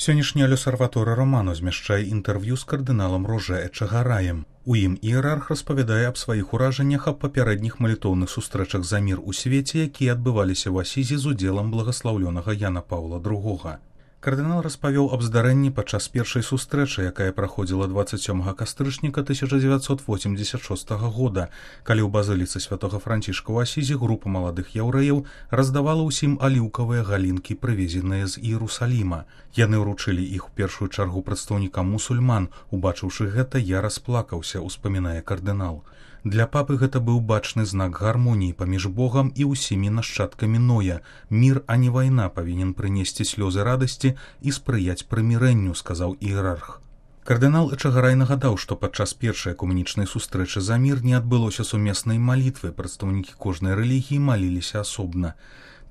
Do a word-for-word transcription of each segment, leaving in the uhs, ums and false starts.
Сённяшні L'Osservatore Romano змяшчае інтэрв'ю з кардыналам Роже Эчагараем. У ім іерарх распавядае аб сваіх уражаннях аб папярэдніх малітоўных сустрэчах за мір у свеце, якія адбываліся ў Асізі з удзелам благаслаўлёнага Яна Паўла другога. Кардынал распавёў аб здарэнні падчас першай сустрэчы, якая праходзіла дваццаць сёмага кастрычніка тысяча дзевяцьсот восемьдесят шостага года, калі ў базыліцы святога Францішка ў Асізі група маладых яўрэяў раздавала ўсім аліўкавыя галінкі, прывезеныя з Іерусаліма. Яны ўручылі іх у першую чаргу прадстаўнікам мусульман. Убачыўшы гэта, я расплакаўся, успамінае кардынал. Для папы гэта быў бачны знак гармоніі паміж Богам і ўсімі нашчадкамі Ноя. Мір, а не вайна, павінен прынесці слёзы радасці і спрыяць прымірэнню, сказаў іерарх. Кардынал Эчагарай нагадаў, што падчас першай экуменічнай сустрэчы за мір не адбылося сумеснай малітвы, прадстаўнікі кожнай рэлігіі маліліся асобна.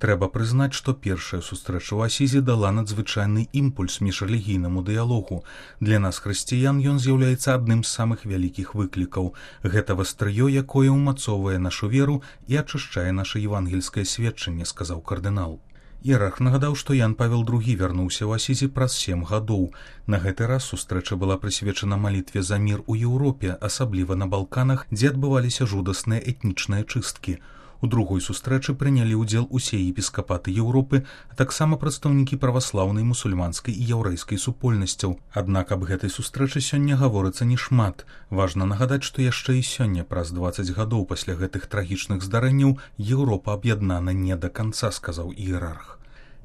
Трэба прызнаць, што першая сустрэча ў Асізе дала надзвычайны імпульс міжрэлігійнаму дыялогу. Для нас, хрысціян, ён з'яўляецца адным з самых вялікіх выклікаў. Гэта вастрыё, якое ўмацоўвае нашу веру і ачышчае наша евангельскае сведчанне, сказаў кардынал. Іерарх нагадаў, што Ян Павел другі вярнуўся ў Асізе праз сем гадоў. На гэты раз сустрэча была прысвечана малітве за мір у Еўропе, асабліва на Балканах, дзе адбываліся жудасныя этнічныя чысткі. У другой сустрэчы прынялі ўдзел усе епіскапаты Еўропы, а таксама прадстаўнікі праваслаўнай, мусульманскай і яўрэйскай супольнасцяў. Аднак аб гэтай сустрэчы сёння гаворыцца не шмат. Важна нагадаць, што яшчэ і сёння, праз дваццаць гадоў пасля гэтых трагічных здарэнняў, Еўропа аб'яднана не да канца, сказаў іерарх.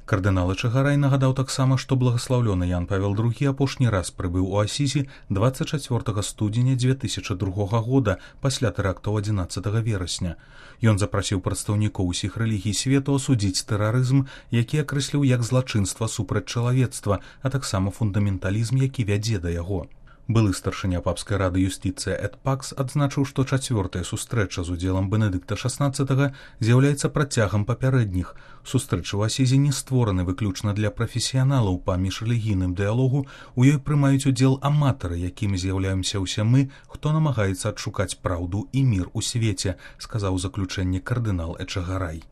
Кардынал Эчагарай нагадаў таксама, што благаслаўлёны Ян Павел другі апошні раз прыбыў у Асізі дваццаць чацвёртага студзеня дзве тысячы другога года пасля тэрактаў адзінаццатага верасня. Ён запрасіў прадстаўнікоў усіх рэлігій свету асудзіць тэрарызм, які акрэсліў як злачынства супраць чалавецтва, а таксама фундаменталізм, які вядзе да яго. Былы старшыня папскай рады юстыцыя Эд Пакс адзначыў, што чацвёртая сустрэча з удзелам Бенедыкта шаснаццатага з'яўляецца працягам папярэдніх. Сустрэчы ў Асізе не створаны выключна для прафесіяналаў па міжрэлігійным дыялогу, у ёй прымаюць удзел аматары, якімі з'яўляемся ўсе мы, хто намагаецца адшукаць праўду і мір у свеце, сказаў у заключэнні кардынал Эчагарай.